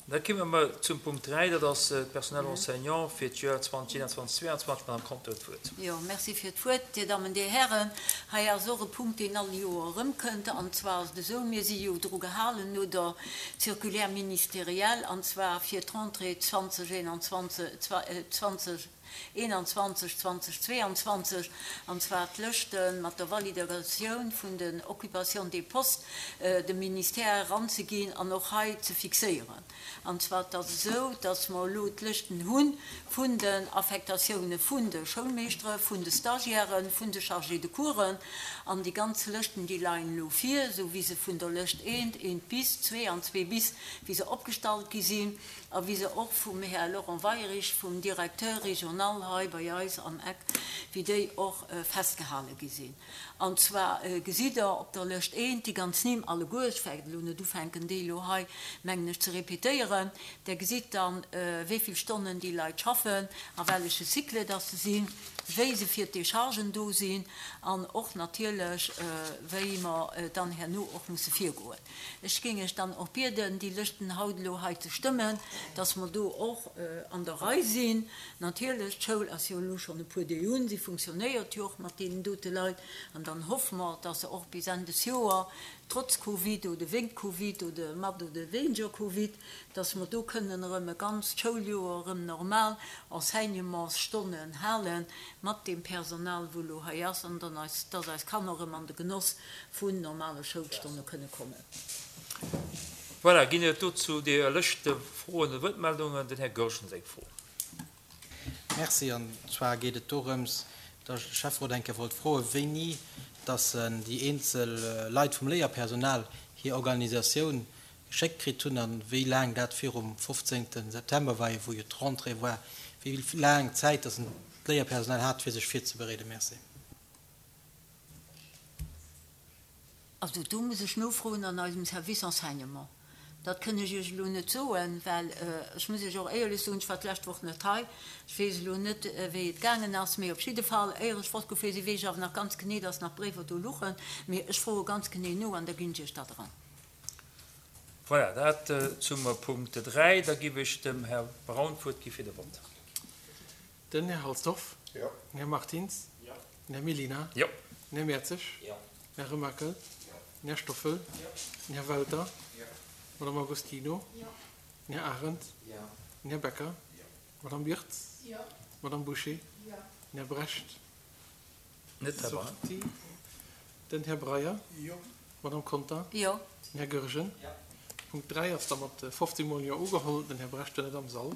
Da komme mer zum Punkt 3, dat ass d'Personnel enseignant fir d'Joer 2021, 2022. D'Madame Conter huet d'Wuert. Jo, merci fir d'Wuert, Dir Dammen, Dir Hären. Hei ass och e Punkt, deen all Joer erëmkënnt, an zwar ass et esou, Mir si jo dru gehalen no der Circulaire ministérielle, an zwar fir d'Rentrée 2021, 2021, 2022, an zwar d'Lëschte mat der Validatioun vun den Occupations des postes dem Ministère eranzeginn an och hei ze fixéieren. An zwar et ass esou, dass mer elo d'Lëschten hu vun den Affectatioune vun de Schoulmeeschtere, vun de Stagiairen, vun de Chargés de coursen, an déi ganz Lëschten, déi leien elo vir, esou wéi se vun der Lëscht eent, eent bis, zwee an zwee bis, wéi se opgestallt gi sinn. a wéi se och vum Här Laurent Weyrich, vum Directeur régional hei bei eis am Eck, wéi déi och festgehale gi sinn. An zwar gesitt Der op der Lëscht eent, déi ganz Nimm alleguer, ech wäert elo net ufänken, déi elo hei, mengen ech, ze répétéieren, Der gesitt dann, wéi vill Stonnen déi Leit schaffen, a welleche Cycle dass se sinn, wéi se fir d'Déchargen do sinn an och natierlech, wéi mer dann herno och musse virgoen. Ech géing Iech dann och bieden, déi Lëschten haut elo hei ze stëmmen, dass mer do och an der Rei sinn. Natierlech, d'Schoul ass jo elo schonn e puer Deeg un, si funktionéiert jo och mat deenen dote Leit, an dann hoffe mer, dass se och bis Enn des Joer, trotz Covid oder wéint Covid oder mat oder wéineger Covid, dass mer do kënnen erëm e ganzt Schouljoer erëm normal Enseignementsstonnen hale mat deem Personal, wou elo hei ass, an dann eis, dass eis Kanner erëm an de Genoss vun normale Schoulstonne kënne kommen. Voilà, ginn et dozou déi lëschte Froen oder Wuertmeldungen? Den Här Goergen huet eng Fro. Merci. An zwar geet et dorëms, datt ech de Schäfferot eng Kéier wollt froen, wéini datt en déi eenzel Leit vum Léierpersonal hir Organisatioun geschéckt kritt hunn a wéi laang dat virum 15. September war, wou jo d'Rentrée war, wéi laang Zäit datt en d'Léierpersonal hat, fir sech virzebereeden. Merci. Also do muss ech nofroen an eisem Service Enseignement. Dat kënn ech Iech elo net soen, well ech muss Iech och éierlech soen, ech war d'lescht Woch net hei, ech weess elo net, wéi et gaangen ass. Mee op jidde Fall, éier ech fortgefuer sinn, weess ech awer nach ganz genee, dass nach Bréiwer do luchen. Mee ech froe ganz genee no an da ginn ech Iech dat eran. Voilà, dat zum Punkt 3. Da giff ech dem Här Braun d'Wuert gi fir de Vott. Den Här Halsdorf. Jo. Den Här Martins. Jo. Den Här Mellina. Jo. Den Här Mertzig. Jo. Den Här Remakel. Jo. Den Här Stoffel. Jo. Den Här Welter. Jo. D'Madame Agostino. Jo. Den Här Arendt. Jo. Den Här Becker. Jo. D'Madame Birtz. Jo. D'Madame Bouché. Jo. Den Här Brecht. Net derbei. Sortie. Den Här Breyer. Jo. D'Madame Conter. Jo. Den Här Goergen. Jo. Punkt 3 ass da mat 15 mol Jo ugeholl. Den Här Brecht war net am Sall.